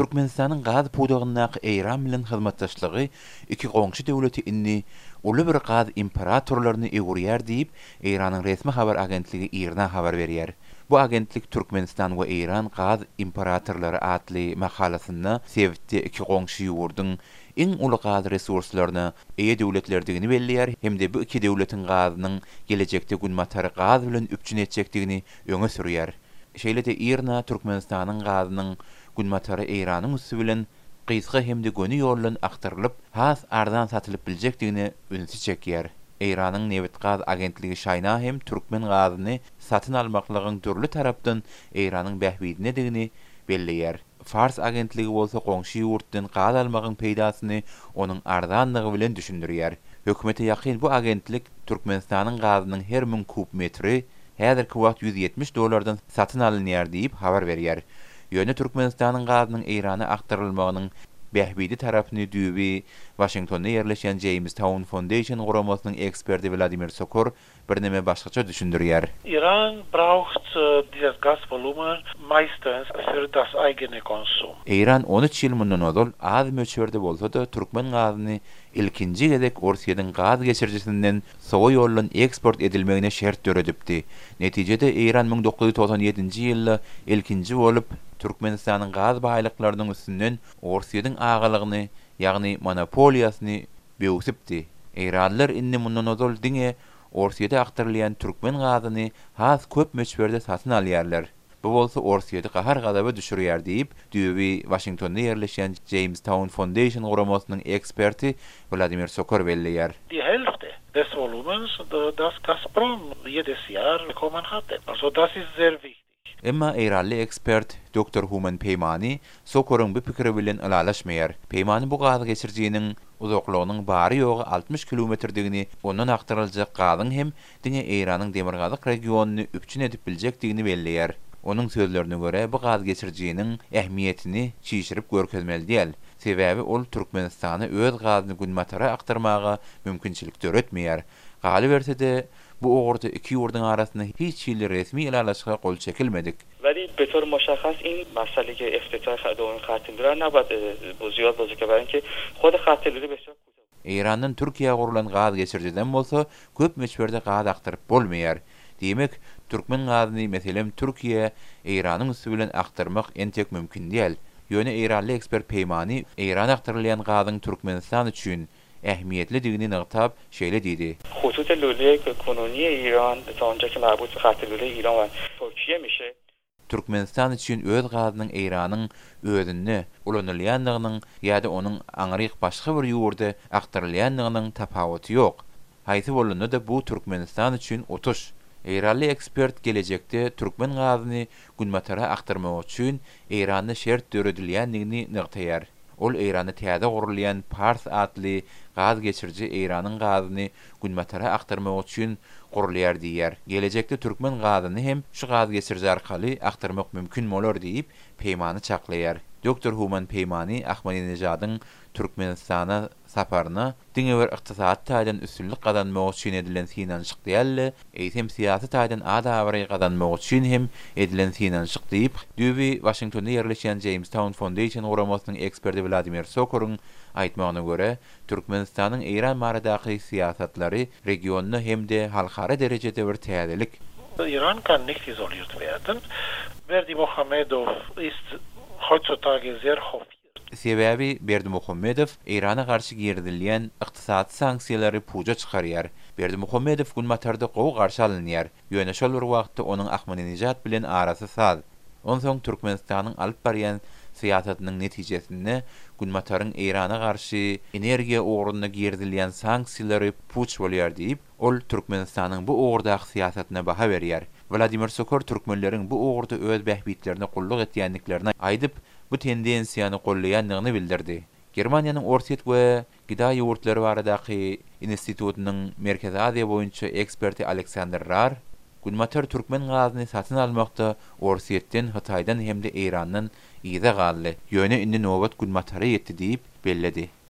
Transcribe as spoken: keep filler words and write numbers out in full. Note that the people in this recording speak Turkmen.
Türkmenistanyň gaz pudagyndaky Eýran bilen hyzmatdaşlygy iki goňşy döwleti indi uly bir gaz imperatorlaryna öwürýär diýip, Eýranyň resmi habar agentligi IRNA habar berýär. Bu agentlik Türkmenistan we Eýran gaz imperatorlary atly makalasynda sebitde iki goňşy ýurduň iň uly gaz resurslaryna eýe döwletlerdigini belleýär hem-de bu iki döwletiň gazynyň gelejekde Günbatary gaz bilen üpjün etjekdigini öňe sürýär. Şeýle-de IRNA Türkmenistanyň gazynyň Günbatary Eýranyň üsti bilen gysga hem-de göni ýoldan akdyrylyp, has arzan satylyp biljekdigine ünsi çekýär. Eýranyň nebit-gaz agentligi ŞAYNA hem türkmen gazyny satyn almaklygyň dürli tarapdan Eýranyň bähbidinedigini belleýär. Fars agentligi bolsa goňşy ýurtdan gaz almagyň peýdasyny onuň arzanlygy bilen düşündirýär. Hökümete ýakyn bu agentlik Türkmenistanyň gazynyň her müň kub metri häzirki wagt ýüz ýetmiş dollardan satyn alynýar diýip habar berýär. Ýöne Türkmenistanyň gazynyň Eýrana akdyrylmagynyň bähbidi tarapyny düýbi Waşingtonda ýerleşýän Jamestown Foundation guramasynyň eksperti Wladimir Sokor birneme başgaça düşündirýär. Iran braucht dieses Gasvolumen meistens für das eigene Konsum. Eýran on üç ýyl mundan ozal az möçberde bolsa-da türkmen gazyny ilkinji gezek Orsýetiň gaz geçirijisinden sowa ýoldan eksport edilmegine şert döredipdi. Netijede Eýran müň dokuz ýüz togsan ýedinji ýylda ilkinji bolup Türkmenistanyň gaz baýlyklarynyň üstünden Orsýetiň agalygyny, ýagny monopoliýasyny böwsüpdi. Eýranlylar indi mundan ozal diňe Orsýete akdyrylýan türkmen gazyny has köp möçberde satyn alýarlar. Bu bolsa Orsýeti gahar-gazaba düşürýär diýip, düýbi Waşingtonda ýerleşýän Jamestown Foundation guramasynyň eksperti Wladimir Sokor belleýär. Die Hälfte des Volumens, das Gazprom jedes Jahr bekommen hatte. Also das ist sehr wichtig. Emma Eýranly ekspert doktor Human Peýmani Sokoryň bu pikiri bilen ylalaşmaýar. Peýmani bu gaz geçirijiniň uzaklygynyň bary ýogy altmyş kilometrdigini, ondan akdyryljak gazyň hem diňe Eýranyň demirgazyk regionyny üpjün edip biljekdigini belleýär. Onuň sözlerine görä bu gaz geçirijiniň ähmiýetini çişirip görkezmeli däl. Sebäbi ol Türkmenistana öz gazyny Günbatara akdyrmaga mümkinçilik döretmeýär. Galyberse-de bu ugurda iki ýurduň arasynda hiç hili resmi ylalaşyga gol çekilmedik. Weli betor muşahhas in masale ki iftitah down khat lüle nabad ziyad bozy ke barin ki xod khat lüle besýar Eýrandan Türkiýä gurlan gaz geçirijiden bolsa köp möçberde gaz akdyryp bolmaýar. Diýmek, türkmen gazyny meselem Türkiýe Eýranyň üsti bilen akdyrmak entek mümkin däl. Ýöne Eýranly ekspert Peýmani Eýran akdyrylýan gazyň Türkmenistan üçin ähmiýetlidigini nygtap şeýle diýdi. Hutut lüle konuniýe Eýran ta onja ki marbut khat lüle Eýran we Türkiýe mişe. Türkmenistan üçin öz gazynyň Eýranyň özünde ulanylýandygynyň ýa-da onuň aňryk başga bir ýurda akdyrylýandygynyň tapawuty ýok. Haýsy bolanda-da bu Türkmenistan üçin otuş. Eýranly ekspert gelejekde türkmen gazyny Günbatara akdyrmak üçin Eýranda şert döredilýändigini nygtaýar. Ol Eýranda täze gurulýan Pars atly gaz geçiriji Eýranyň gazyny Günbatara akdyrmak üçin gurulýar diýýär. Gelejekde türkmen gazyny hem şu gaz geçiriji arkaly akdyrmak mümkin bolar diýip Peýmani çaklaýar. Doktor Human Peýmani Ahmadinejadyň Türkmenistana saparyna diňe bir ykdysady taýdan üstünlik gazanmak üçin edilen synanyşyk däl-de, eýsem syýasy taýdan ad-abraý gazanmak üçin hem edilen synanyşyk diýip, düýbi Waşingtonda ýerleşýän Jamestown Foundation guramasynyň eksperti Wladimir Sokoryň aýtmagyna görä, Türkmenistanyň Eýran baradaky syýasatlary regionda hem-de halkara derejede bir täzelik. Iran kann nicht isoliert werden. Berdimuhamedow ist heutzutage sehr hofiert. Sebäbi Berdimuhamedow Eýrana garşy girizilýän ykdysady sanksiýalary puja çykarýar. Berdimuhamedow Günbatarda gowy garşy alynýar. Ýöne şol bir wagtda onuň Ahmadinejad bilen arasy saz. Onsoň Türkmenistanyň alyp barýan syýasatynyň netijesinde Günbataryň Eýrana garşy energiýa ugrunda girizilýän sanksiýalary puç bolýar diýip, ol Türkmenistanyň bu ugurdaky syýasatyna baha berýär. Wladimir Sokor türkmenleriň bu ugurda öz bähbitlerine gulluk etýändiklerini aýdyp, bu tendensiýany gollaýandygyny bildirdi. Germaniýanyň Orsýet we Gida ýurtlary baradaky institutynyň Merkezi Aziýa boýunça eksperti Aleksandr Rar, Günbatar türkmen gazyny satyn almakda Orsýetden, Hytaýdan hem-de Eýrandan yza galdy. Ýöne indi nobat Günbatara ýetdi diýip belledi.